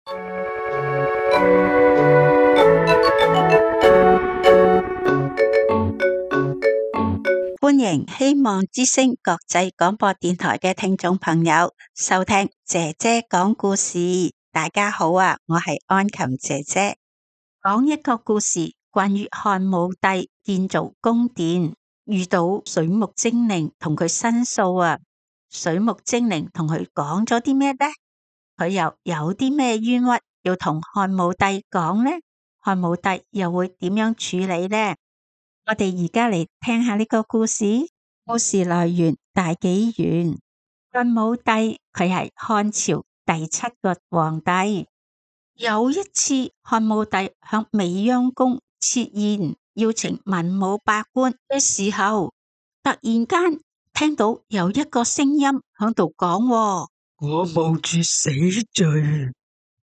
歡迎希望之聲國際廣播電台嘅聽眾朋友收聽姐姐講故事。大家好啊，我係安琴姐姐，講一個故事，關於漢武帝建造宮殿，遇到水木精靈同佢申訴啊。水木精靈同佢講咗啲咩呢？佢又有啲咩冤屈要同漢武帝講呢？漢武帝又會點樣處理呢？我哋而家嚟聽下呢個故事。故事來源大紀元。漢武帝佢係漢朝第7個皇帝。有一次，漢武帝向未央宮設宴，邀請文武百官嘅時候，突然間聽到有一個聲音響度講：我冒住死罪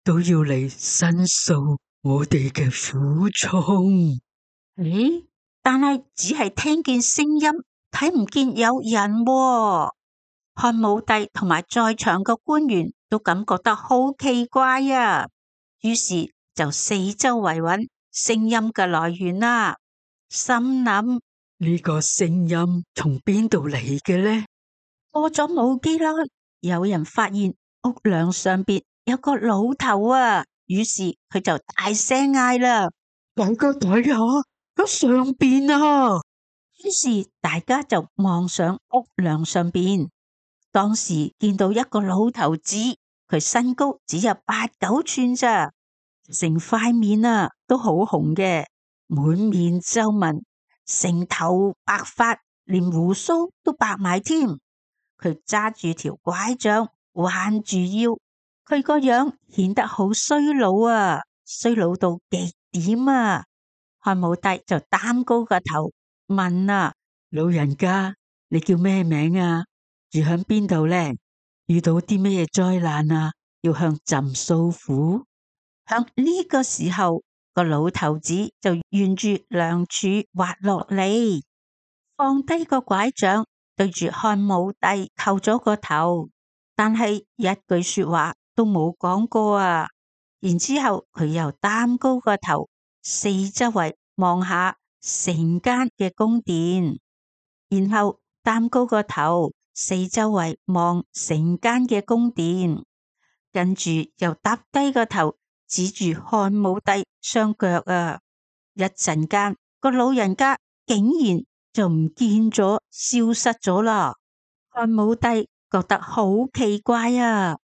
都要嚟申訴我哋嘅苦衷。咦？但係只係聽見聲音，睇唔見有人喎。漢武帝同埋在場嘅官員都感覺得好奇怪啊，於是就四周圍揾聲音嘅來源啦。心諗呢個聲音從邊度嚟嘅呢？過咗冇幾耐，有人發現屋梁上邊有個老頭啊，於是佢就大聲嗌啦：大家睇下！喺上邊啊！於是大家就望上屋梁上邊，當時見到一個老頭子，佢身高只有8、9寸咋，成塊面啊都好紅嘅，滿面皺紋，成頭白髮，連鬍鬚都白埋添。佢揸住條拐杖，彎住腰，佢個樣顯得好衰老啊，衰老到極點啊！漢武帝就擔高個頭問啊：老人家，你叫咩名啊？住響邊度呢？遇到啲咩災難啊？要向朕訴苦。響呢個時候，個老頭子就沿住梁柱滑落嚟，放低個拐杖，對住漢武帝叩咗個頭，但係一句說話都冇講過啊。然之後佢又擔高個頭，四周圍望下成間嘅宮殿，然後擔高個頭，四周圍望成間嘅宮殿，跟住又耷低個頭，指住漢武帝雙腳啊！一陣間，個老人家竟然就唔見咗，消失咗啦！漢武帝覺得好奇怪啊！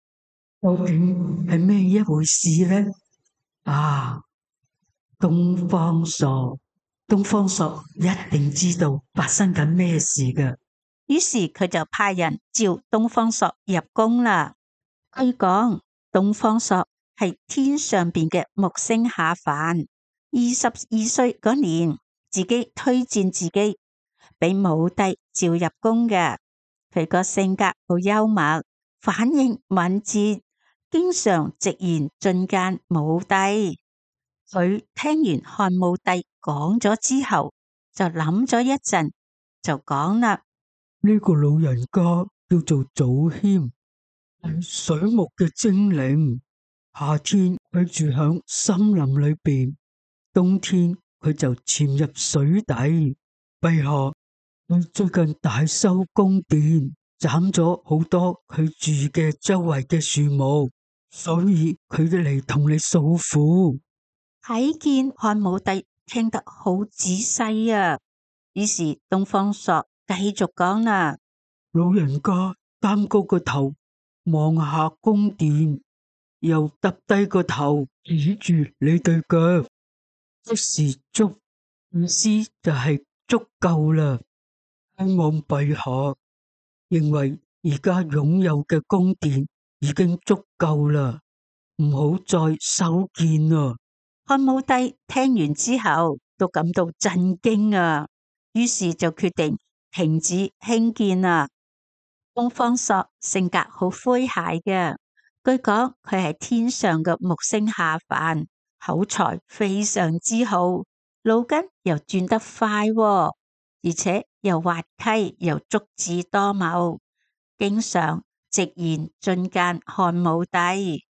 究竟係咩一回事呢？啊！東方朔，東方朔一定知道發生緊咩事㗎。於是佢就派人召東方朔入宮啦。據講，東方朔係天上邊嘅木星下凡，22歲嗰年，自己推薦自己俾武帝召入宮嘅。佢個性格好幽默，反應敏捷，經常直言進諫武帝。佢聽完漢武帝講咗之後，就諗咗一陣，就講啦：呢個老人家叫做祖謙，係水木嘅精靈。夏天佢住響森林裏邊，冬天佢就潛入水底。陛下，佢最近大修宮殿，斬咗好多佢住嘅周圍嘅樹木，所以佢嚟同你訴苦。睇見漢武帝聽得好仔細啊，於是東方朔繼續講啦：老人家擔高個頭望下宮殿，又耷低個頭指住你對腳，即是足，意思就係足夠啦。希望陛下認為而家擁有嘅宮殿已經足夠啦，唔好再修建啦。漢武帝聽完之後都感到震驚啊，於是就決定停止興建啦。東方朔性格好詼諧嘅，據講佢係天上嘅木星下凡，口才非常之好，腦筋又轉得快喎，而且又滑稽又足智多謀，經常直言進諫漢武帝。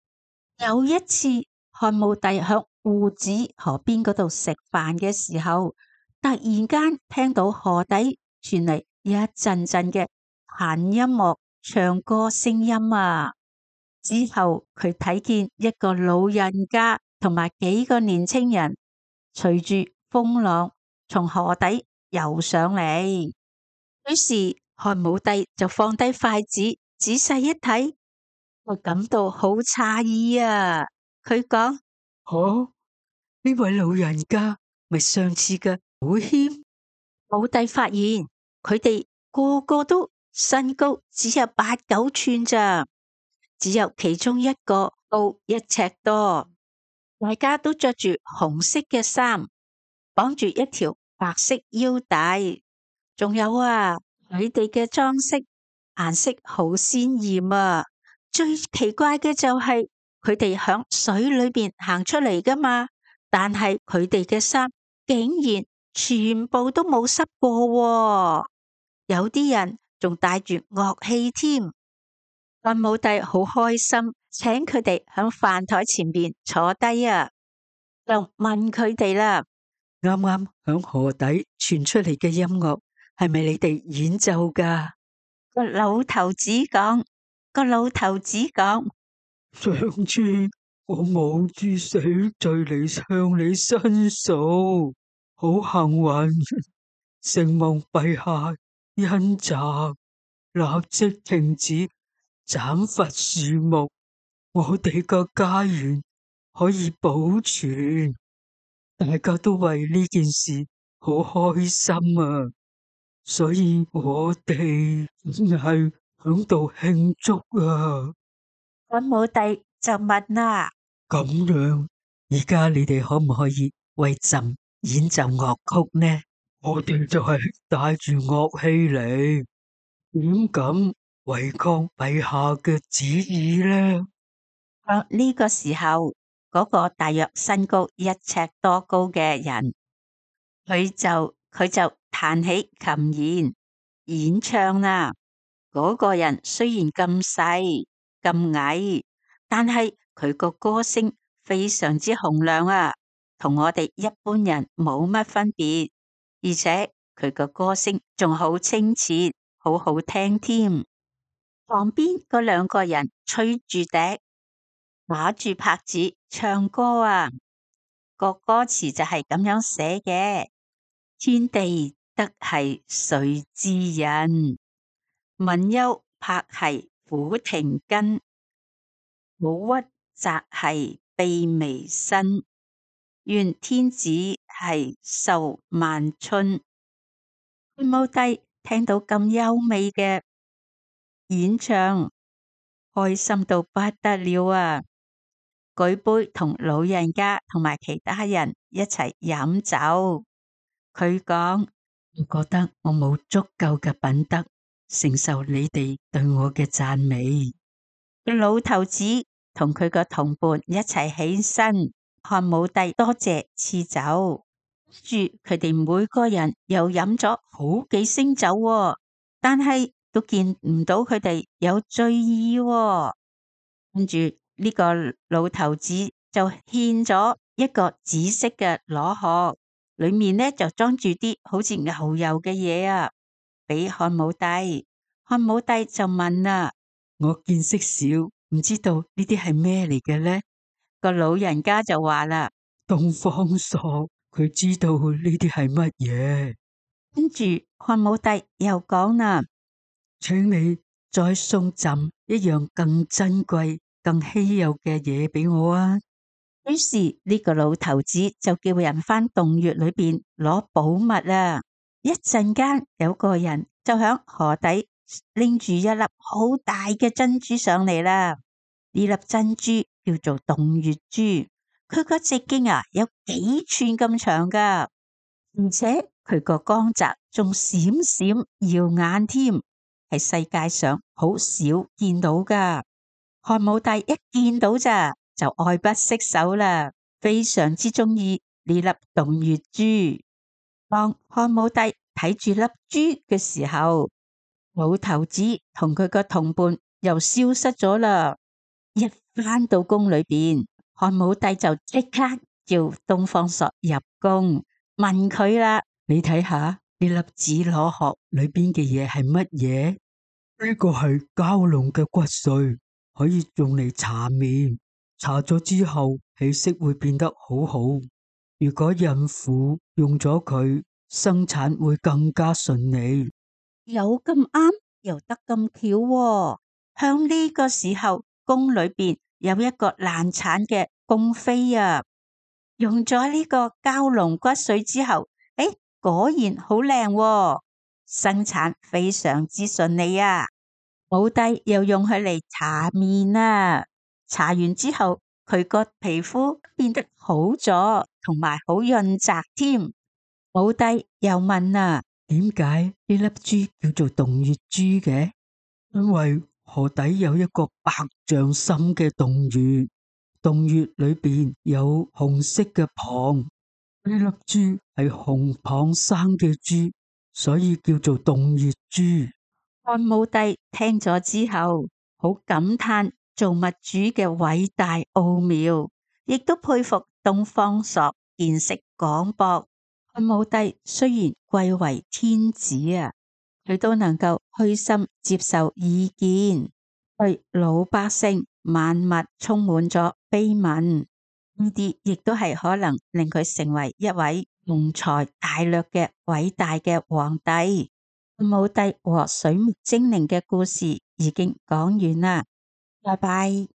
有一次，漢武帝響戶子河邊嗰度食飯嘅時候，突然間聽到河底傳嚟一陣陣嘅彈音樂、唱歌聲音啊！之後佢睇見一個老人家同埋幾個年青人隨住風浪從河底游上嚟，於是漢武帝就放低筷子，仔細一睇，我感到好詫異啊！佢講：哦，呢位老人家咪上次嘅祖謙？武帝發現佢哋個個都身高只有8、9寸咋，只有其中一個高1尺多，大家都着住紅色嘅衫，綁住一條白色腰帶，仲有啊，佢哋嘅裝飾顏色好鮮艷啊！最奇怪嘅就係佢哋響水裏邊行出嚟噶嘛，但係佢哋嘅衫竟然全部都冇濕過喎，有啲人仲帶住樂器添。漢武帝好開心，請佢哋響飯台前邊坐低啊，就問佢哋啦：啱啱響河底傳出嚟嘅音樂係咪你哋演奏噶？個老頭子講，上次我冒住死罪嚟向你申訴，好幸運，承蒙陛下恩澤，立即停止斬伐樹木，我哋個家園可以保存，大家都為呢件事好開心啊！所以我哋真係響度慶祝啊！漢武帝就問啦：咁樣，而家你哋可唔可以為朕演奏樂曲呢？我哋就係帶住樂器嚟，點敢違抗陛下嘅旨意呢？呢個時候，嗰個大約身高1尺多高嘅人，佢就彈起琴弦演唱啦。嗰個人雖然咁細咁矮，但係佢個歌聲非常之洪亮啊，同我哋一般人冇乜分別，而且佢個歌聲仲好清澈，好好聽添。旁邊嗰兩個人吹住笛，打住拍子唱歌啊，個歌詞就係咁樣寫嘅：天地得係誰之人？民憂拍係苦庭根，苦屈責係卑微身。願天子係壽萬春。漢武帝聽到咁優美嘅演唱，開心到不得了啊！舉杯同老人家同埋其他人一齊飲酒。佢講：我覺得我冇足夠嘅品德承受你哋對我嘅讚美。老頭子同佢個同伴一齊起身，漢武帝多謝賜酒，住佢哋每個人又飲咗好幾升酒喎，但係都見唔到佢哋有醉意喎。跟住呢個老頭子就獻咗一個紫色嘅螺殼，裏面呢就裝住啲好似牛油嘅嘢啊，俾漢武帝。漢武帝就問啦：我見識少，唔知道呢啲係咩嚟嘅呢？個老人家就話啦：東方朔佢知道呢啲係乜嘢。跟住漢武帝又講啦：請你再送朕一樣更珍貴、更稀有嘅嘢俾我啊！於是呢個老頭子就叫人返洞穴裏邊攞寶物啊！一陣間有個人就響河底拎住一粒好大嘅珍珠上嚟啦。呢粒珍珠叫做洞穴珠，佢個直徑啊有幾寸咁長噶，而且佢個光澤仲閃閃耀眼添，係世界上好少見到噶。漢武帝一見到咋就愛不釋手啦，非常之中意呢粒洞穴珠。當漢武帝睇住粒珠嘅時候，老頭子同佢個同伴又消失咗啦。一返到宮裏邊，漢武帝就即刻叫東方朔入宮，問佢啦：你睇下呢粒紫羅殼裏邊嘅嘢係乜嘢？呢個係蛟龍嘅骨髓，可以用嚟搽面，搽咗之後氣色會變得好好。如果孕婦用咗佢，生產會更加順利。有咁啱，又得咁巧喎。向呢個時候，宮裏邊有一個難產嘅宮妃啊，用咗呢個蛟龍骨髓之後，果然好靚喎，生產非常之順利啊。武帝又用佢嚟搽面啊，搽完之後，佢個皮膚變得好咗，同埋好潤澤添。武帝又問啊：點解呢粒珠叫做洞穴珠嘅？因為河底有一個百丈深嘅洞穴，洞穴裏邊有紅色嘅蚌，呢粒珠係紅蚌生嘅珠，所以叫做洞穴珠。漢武帝聽咗之後，好感嘆造物主嘅偉大奧妙，亦都佩服東方朔見識廣博。漢武帝雖然貴為天子啊，佢都能夠虛心接受意見，對老百姓萬物充滿咗悲憫。呢啲亦都係可能令佢成為一位雄才大略嘅偉大嘅皇帝。漢武帝和水木精靈嘅故事已經講完啦，拜拜。